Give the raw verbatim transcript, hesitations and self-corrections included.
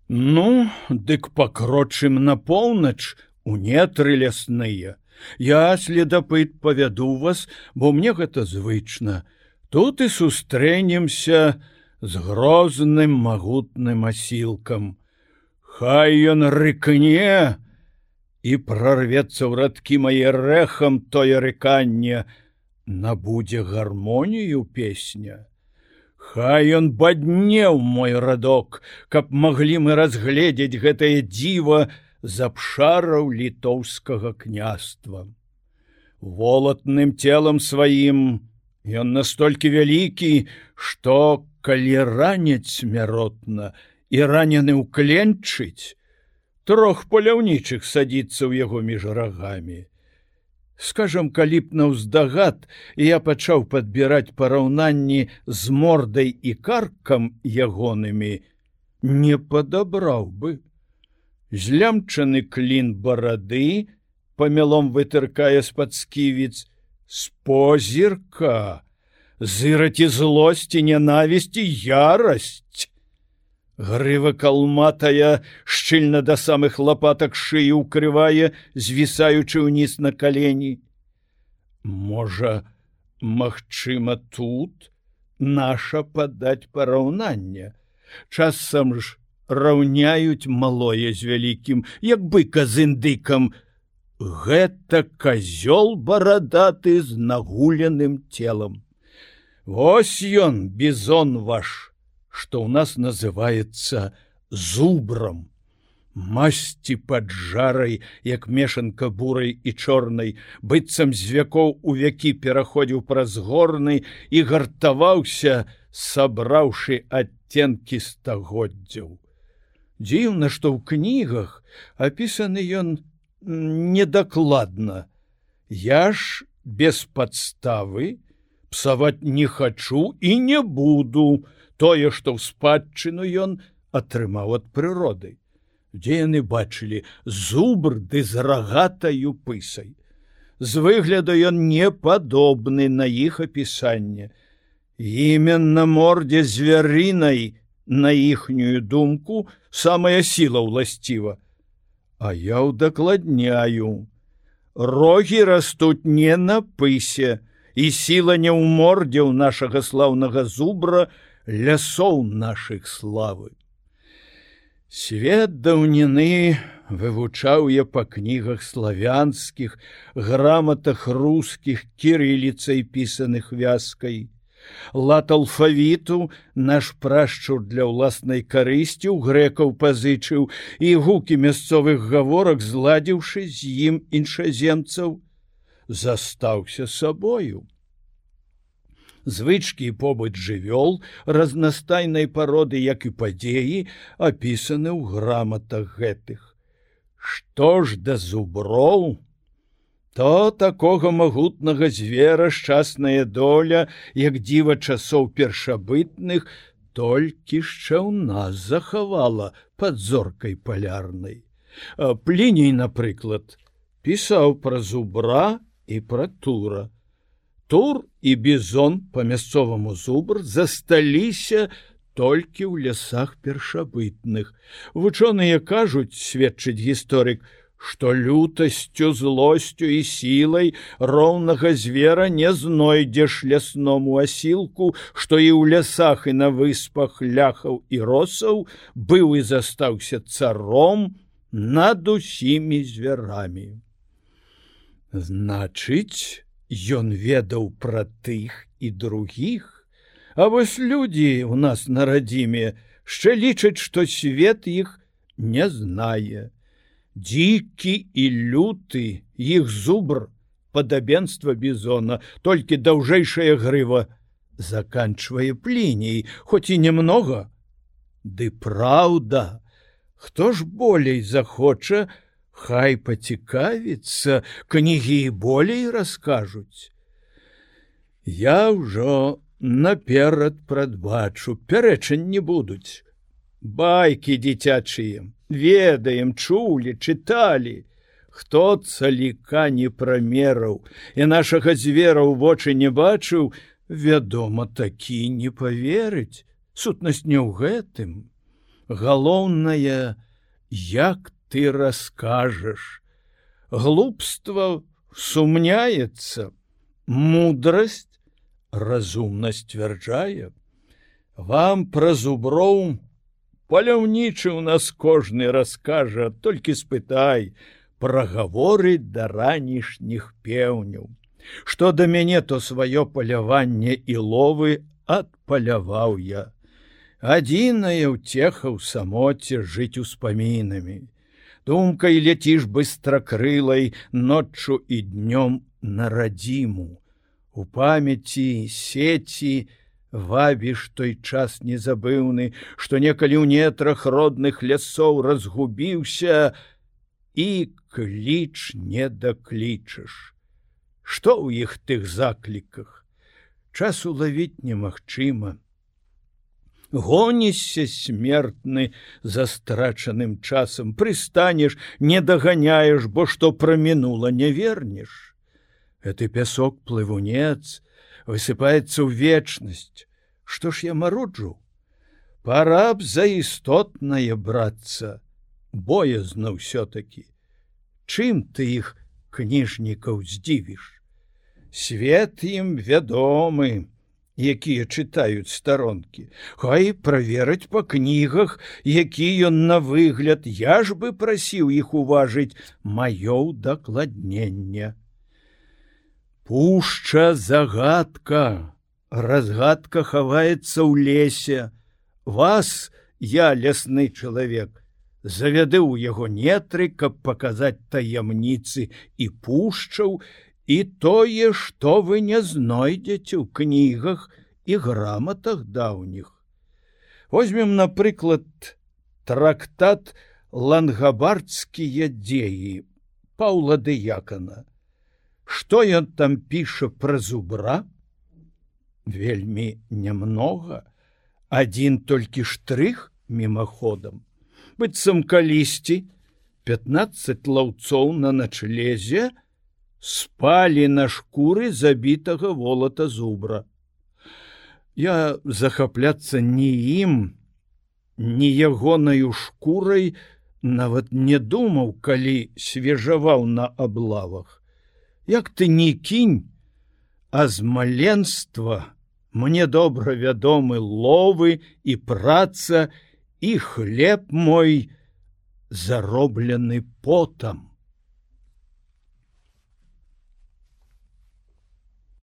Ну, дык пакрочым на поўнач у нетры лясныя. Я, следапыт, павяду вас, бо мне гэта звычна. Тут і сустрэнемся з грозным магутным асілкам. Хай ён рыкне і прорвецца ў радкі мае рэхам тое рыканне, набудзе гармонію песня. Хай ён баднеў мой радок, каб маглі мы разгледзець гэтае дзіва з абшараў літоўскага княства. Волатным целам сваім ён настолькі вялікі, што калі раняць смяротна і ранены ўкленчыць, трох паляўнічых садзіцца ў яго між рагамі. Скажам, калі б наўздагад я пачаў падбіраць параўнанні з мордай і каркам ягонымі, не падабраў бы. Злямчаны клін барады, памялом вытыркае з-пад сківіц, з позірка, зыраці злосці, нянавісці, ярасць. Грыва калматая шчыльна да самых лапатак шыю ўкрывае, звісаючы ўніз на калені. Можа, магчыма, тут наша падаць параўнанне. Часам ж раўняюць малое з вялікім, як быка з індыкам. Гэта казёл барадаты з нагуленым целам. Вось ён, бізон ваш, што ў нас называецца зубрам. Масці пад жарай, як мешанка бурай і чорнай, быццам з вякоў у вякі пераходзіў праз горны і гартаваўся, сабраўшы адценкі стагоддзяў. Дзіўна, што ў кнігах апісаны ён недакладна. Я ж без падставы псаваць не хачу і не буду тое, што ў спадчыну ён атрымаў ад прыроды. Дзе яны бачылі зубр ды з рагатаю пысай. З выгляду ён не падобны на іх апісанне. Іменна мордзе звярынай, на іхнюю думку, самая сіла ўласціва. А я ўдакладняю. Рогі растуць не на пысе, і сіла не ў мордзе ў нашага слаўнага зубра, лясоў нашых славы. Свет даўніны вывучаў я па кнігах славянскіх, граматах рускіх, кірыліцай пісаных вязкай. Лад алфавіту наш прашчур для ўласнай карысці ў грэкаў пазычыў і гукі мясцовых гаворак, зладзіўшы з ім іншаземцаў, застаўся сабою. Звычкі і побыт жывёл разнастайнай пароды, як і падзеі, апісаны ў граматах гэтых. Што ж да зуброў, то такога магутнага звера шчасная доля, як дзіва часоў першабытных, толькі яшчэ ў нас захавала пад зоркай палярнай. Пліній, напрыклад, пісаў пра зубра і пра тура. Тур і бізон, па-мясцоваму зубр, засталіся толькі ў лясах першабытных. Вучоныя кажуць, сведчыць гісторык, што лютасцю, злосцю і сілай роўнага звера не знойдзеш лясному асілку, што і ў лясах і на выспах ляхаў і росаў быў і застаўся царом над усімі звярамі. Значыць, ён ведаў пра тых і другіх, а вось людзі ў нас на радзіме яшчэ лічаць, што свет іх не знае. Дзікі і люты, іх зубр, падабенства бізона, толькі даўжэйшая грыва, заканчвае Пліній, хоць і немнога. Ды праўда, хто ж болей захоча, хай пацікавіцца, кнігі і болей раскажуць. Я ўжо наперад прадбачу, пярэчань не будуць. Байкі дзіцячыя, ведаем, чулі, чыталі. Хто цаліка не прамераў і нашага звера ў вочы не бачыў, вядома, такі не паверыць. Сутнасць не ў гэтым. Галоўнае, як ты раскажаш. Глупства сумняецца, мудрасць разумна сцвярджае. Вам пра зуброў паляўнічы ў нас кожны раскажа, толькі спытай, прагаворыць да ранішніх пеўняў. Што да мяне, то сваё паляванне і ловы адпаляваў я. Адзіная ўцеха ў самоце жыць успамінамі. Думкай ляціш быстракрылай ноччу і днём на радзіму. У памяці сеці вабіш той час незабыўны, што некалі ў нетрах родных лясоў разгубіўся і кліч не даклічаш. Што ў іх тых закліках? Час улавіць немагчыма. Гонішся смертны за страчаным часам, прыстанеш, не даганяеш, бо што прамінула не вернеш. Гэты пясок плывунец высыпаецца ў вечнасць. Што ж я маруджу? Пара б за істотнае брацца, боязна ўсё-такі. Чым ты іх, кніжнікаў, здзівіш? Свет ім вядомы, якія чытаюць старонкі. Хай правераць па кнігах, які ён на выгляд, я ж бы прасіў іх уважыць маё ўдакладненне. Пушча загадка, разгадка хаваецца ў лесе. Вас, я, лясны чалавек, завяды ў яго нетры, каб паказаць таямніцы і пушчаў, і тое, што вы не знойдзеце ў кнігах і граматах даўніх. Возьмем, напрыклад, трактат «Лангабардскія дзеі» Паўла Дыякана. Што ён там піша пра зубра? Вельмі нямнога, адзін толькі штрых мімаходам. Быццам калісьці пятнаццаць лаўцоў на начлезе спалі на шкуры забітага волата зубра. Я захапляцца ні ім, ні ягонаю шкурай нават не думаў, калі свежаваў на аблавах. Як ты не кінь, а з маленства мне добра вядомы ловы і праца, і хлеб мой зароблены потам.